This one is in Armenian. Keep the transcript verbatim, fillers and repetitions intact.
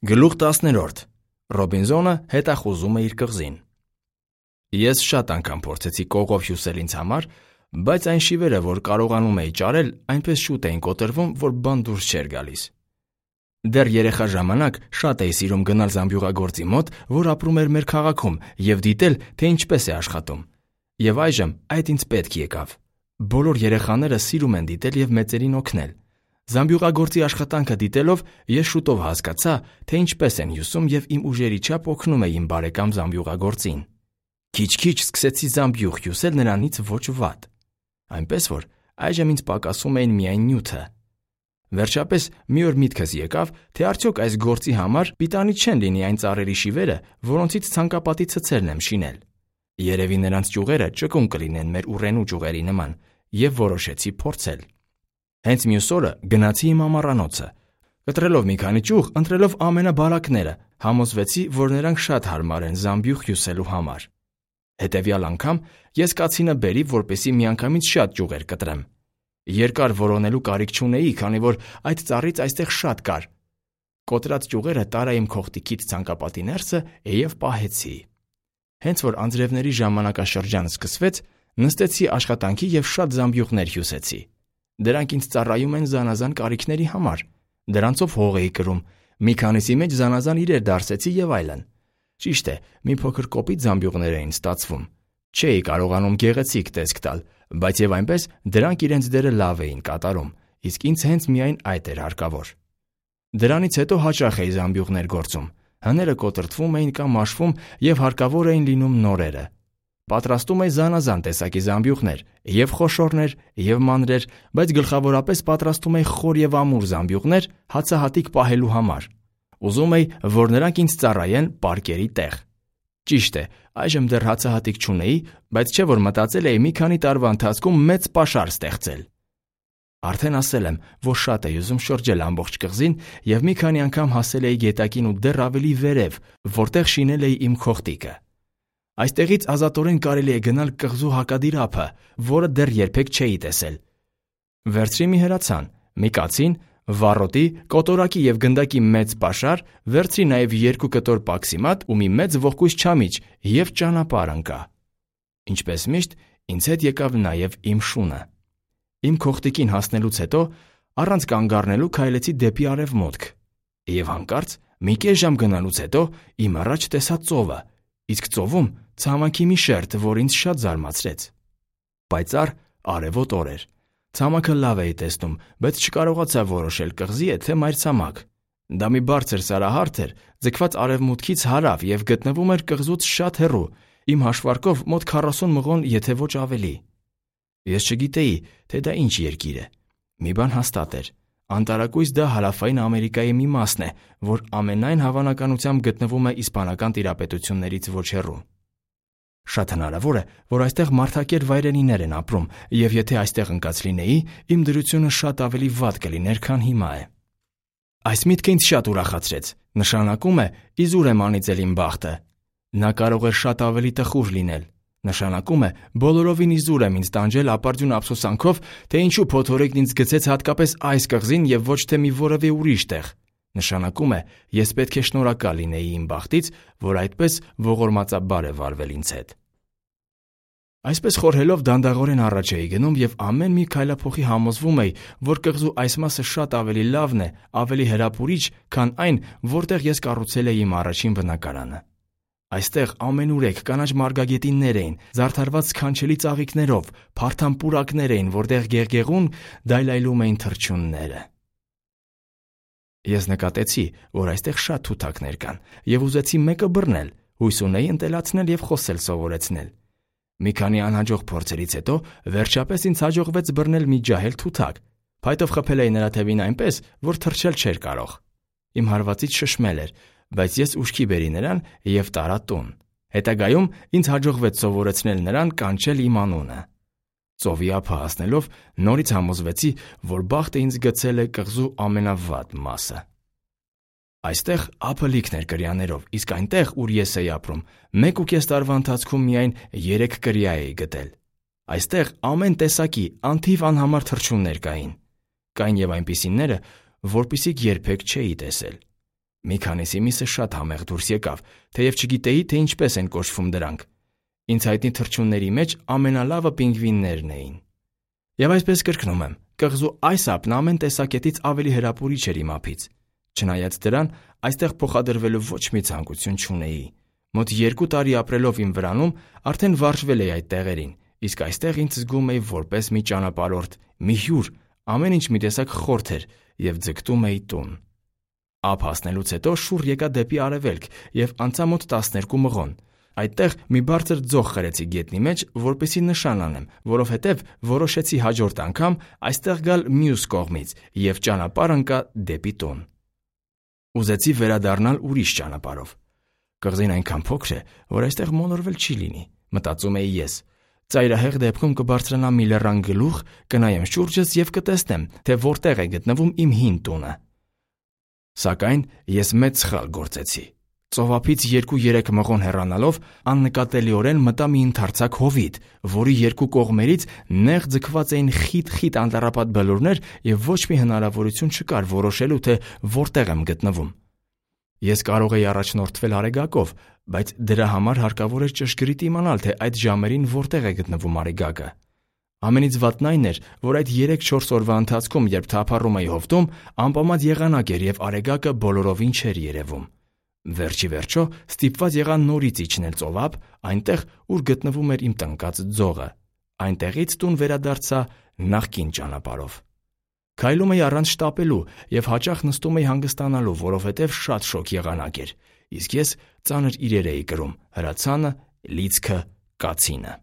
Գլուխ տասներորդ. Ռոբինզոնը հետախուզում է իր կղզին։ Ես շատ անգամ փորձեցի կողով հյուսել ինձ համար, բայց այն շիվերը, որ կարողանում էի ճարել, այնպես շուտ էին կոտրվում, որ բան դուրս չէր գալիս։ Դեռ երեխա ժամանակ շատ էի սիրում գնալ զամբյուղագործի մոտ, որ ապրում էր մեր քաղաքում, և դիտել, թե ինչպես է աշխատում։ Եվ այժմ այդ ինձ պետք եկավ։ Բոլոր երեխաները սիրում են դիտել և մեծերին օգնել։ Զամբյուղագործի աշխատանքը դիտելով ես շուտով հասկացա, թե ինչպես են հյուսում և իմ ուժերի չափ օգնում էի իմ բարեկամ զամբյուղագործին։ Քիչ-քիչ սկսեցի զամբյուղ հյուսել նրանից ոչ վատ։ Այնպես որ այժմ ինձ պակասում էին միայն նյութը։ Վերջապես մի օր միտքս եկավ, թե արդյոք այս գործի համար պիտանի չեն լինի այն ծառերի շիվերը, որոնցից ցանկապատի ցցերն եմ շինել։ Երևի նրանց ճյուղերը ճկուն կլինեն մեր ուռենու ճյուղերի նման, և որոշեցի փորձել։ Հենց մյուս օրը գնացի իմ ամառանոցը։ Կտրելով մի քանի ճյուղ, ընտրելով ամենաբարակները, համոզվեցի, որ նրանք շատ հարմար են զամբյուղ հյուսելու համար։ Հետևյալ անգամ ես կացինը բերի, որպեսզի միանգամից շատ ճյուղեր կտրեմ։ Երկար որոնելու կարիք չունեի, քանի որ այդ ծառից այստեղ շատ կար։ Կոտրած ճյուղերը տարա իմ քողտիկից ցանկապատի ներսը և պահեցի։ Հենց որ անձրևների ժամանակաշրջանը սկսվեց, նստեցի աշխատանքի և շատ զամբյուղներ հյուսեցի։ Դրանք ինձ ծառայում են զանազան կարիքների համար։ Դրանցով հող էի կրում, մի քանիսի մեջ զանազան իրեր դարսեցի և այլն։ Ճիշտ է, մի փոքր կոպիտ զամբյուղներ էին ստացվում։ Չէի կարողանում գեղեցիկ տեսք տալ, բայց և այնպես դրանք իրենց դերը լավ էին կատարում, իսկ ինձ հենց միայն այդ էր հարկավոր։ Դրանից հետո հաճախ էի զամբյուղներ գործում։ Հները կոտրտվում էին կամ մաշվում և հարկավոր էին լինում նորերը։ Պատրաստում էի զանազան տեսակի զամբյուղներ, և խոշորներ, և մանրեր, բայց գլխավորապես պատրաստում էի խոր և ամուր զամբյուղներ հացահատիկ պահելու համար։ Ուզում էի, որ նրանք ինձ ծառայեն պարկերի տեղ։ Ճիշտ է, այժմ դեռ հացահատիկ չունեի, բայց չէ որ մտածել էի մի քանի տարվա ընթացքում մեծ պաշար ստեղծել։ Արդեն ասել եմ, որ շատ էի ուզում շրջել ամբողջ կղզին և մի քանի անգամ հասել էի գետակին ու դեռ ավելի վերև, որտեղ շինել էի իմ քողտիկը։ Այստեղից ազատորեն կարելի է գնալ կղզու հակադիր ափը, որը դեռ երբեք չէի տեսել։ Վերցրի մի հրացան, մի կացին, վառոտի, կոտորակի և գնդակի մեծ պաշար, վերցրի նաև երկու կտոր պաքսիմատ ու մի մեծ ողկույզ չամիչ և ճանապարհ ընկա։ Ինչպես միշտ, ինձ հետ եկավ նաև իմ շունը։ Իմ քողտիկին հասնելուց հետո առանց կանգ առնելու քայլեցի դեպի արևմուտք։ Եվ հանկարծ մի կես ժամ գնալուց հետո իմ առաջ տեսա ծովը, իսկ ծովում ցամաքի մի շերտ, որ ինձ շատ զարմացրեց։ Պայծառ արևոտ օր էր։ Ցամաքը լավ էի տեսնում, բայց չկարողացա որոշել կղզի է, թե մայրցամաք։ Դա մի բարձր սարահարթ էր, ձգված արևմուտքից հարավ և գտնվում էր կղզուց շատ հեռու, իմ հաշվարկով մոտ քառասուն մղոն, եթե ոչ ավելի։ Ես չգիտեի, թե դա ինչ երկիր է։ Մի բան հաստատ էր. անտարակույս դա Հարավային Ամերիկայի մի մասն է, որ ամենայն հավանականությամբ գտնվում է իսպանական տիրապետություններից ոչ հեռու։ Շատ հնարավոր է, որ այստեղ մարդակեր վայրենիներ են ապրում, և եթե այստեղ ընկած լինեի, իմ դրությունը շատ ավելի վատ կլիներ, քան հիմա է։ Այս միտքը ինձ շատ ուրախացրեց, նշանակում է իզուր եմ անիծել իմ բախտը։ Նա կարող էր շատ ավելի տխուր լինել։ Նշանակում է բոլորովին իզուր եմ ինձ տանջել ապարդյուն ափսոսանքով, թե ինչու փոթորիկն ինձ գցեց հատկապես այս կղզին և ոչ թե մի որևէ ուրիշ տեղ։ Նշանակում է ես պետք է շնորհակալ լինեի իմ բախտից, որ այդպես ողորմածաբար է վարվել ինձ հետ։ Այսպես խորհելով դանդաղորեն առաջ էի գնում և ամեն մի քայլափոխի համոզվում էի, որ կղզու այս մասը շատ ավելի լավն է, ավելի հրապուրիչ, քան այն, որտեղ ես կառուցել էի իմ առաջին բնակարանը։ Այստեղ ամենուրեք կանաչ մարգագետիններ էին, զարդարված սքանչելի ծաղիկներով, փարթամ պուրակներ էին, որտեղ գեղգեղուն դայլայլում էին թռչունները։ Ես նկատեցի, որ այստեղ շատ թութակներ կան, և ուզեցի մեկը բռնել, հույս ունեի ընտելացնել և խոսել սովորեցնել։ Մի քանի անհաջող փորձերից հետո վերջապես ինձ հաջողվեց բռնել մի ջահել թութակ։ Փայտով խփել էի նրա թևին այնպես, որ թռչել չէր կարող։ Իմ հարվածից շշմել էր, բայց ես ուշքի բերի նրան և տարա տուն։ Հետագայում ինձ հաջողվեց սովորեցնել նրան կանչել իմ անունը։ Ծովի ափը հասնելով նորից համոզվեցի, որ բախտը ինձ գցել է կղզու ամենավատ մասը։ Այստեղ ափը լիքն էր կրյաներով, իսկ այնտեղ, ուր ես էի ապրում, մեկ ու կես տարվա ընթացքում միայն երեք կրյա էի գտել։ Այստեղ ամեն տեսակի անթիվ անհամար թռչուններ կային։ Կային և այնպիսիները, որպիսիք երբեք չէի տեսել։ Մի քանիսի միսը շատ համեղ դուրս եկավ, թեև չգիտեի, թե ինչպես են կոչվում դրանք։ Ինձ հայտնի թռչունների մեջ ամենալավը պինգվիններն էին։ Եվ այսպես կրկնում եմ, կղզու այս ափն ամեն տեսակետից ավելի հրապուրիչ էր իմ ափից։ Չնայած դրան, այստեղ փոխադրվելու ոչ մի ցանկություն չունեի։ Մոտ երկու տարի ապրելով իմ վրանում, արդեն վարժվել էի այդ տեղերին, իսկ այստեղ ինձ զգում էի որպես մի ճանապարհորդ, մի հյուր, ամեն ինչ մի տեսակ խորթ էր և ձգտում էի տուն։ Ափ հասնելուց հետո շուռ եկա դեպի արևելք և անցա մոտ տասներկու մղոն։ Այդտեղ մի բարձր ձող խրեցի գետնի մեջ, որպեսզի նշան անեմ, որովհետև որոշեցի հաջորդ անգամ այստեղ գալ մյուս կողմից և ճանապարհ ընկա դեպի տուն։ Ուզեցի վերադառնալ ուրիշ ճանապարհով։ Կղզին այնքան փոքր է, որ այստեղ մոլորվել չի լինի, մտածում էի ես։ Ծայրահեղ դեպքում կբարձրանամ մի լեռան գլուխ, կնայեմ շուրջս և կտեսնեմ, թե որտեղ է գտնվում իմ հին տունը։ Սակայն ես մեծ սխալ գործեցի։ Ծովափից երկու-երեք մղոն հեռանալով աննկատելիորեն մտա մի ընդարձակ հովիտ, որի երկու կողմերից նեղ ձգված էին խիտ-խիտ անտառապատ բլուրներ և ոչ մի հնարավորություն չկար որոշելու, թե որտեղ եմ գտնվում։ Ես կարող էի առաջնորդվել Արեգակով, բայց դրա համար հարկավոր էր ճշգրիտ իմանալ, թե այդ ժամերին որտեղ է գտնվում Արեգակը։ Ամենից վատն այն էր, որ այդ երեք-չորս օրվա ընթացքում, երբ թափառում էի հովտում, անպամած եղանակ էր և Արեգակը բոլորովին չէր երևում։ Վերջի վերջո ստիպված եղա նորից իջնել ծովափ, այնտեղ, ուր գտնվում էր իմ տնկած ձողը։ Այնտեղից տուն վերադարձա նախկին ճանապարհով։ Քայլում էի առանց շտապելու և հաճախ նստում էի հանգստանալու, որովհետև շատ շոգ եղանակ էր, իսկ ես ծանր իրեր էի կրում՝ հրացանը, լիցքը, կացինը։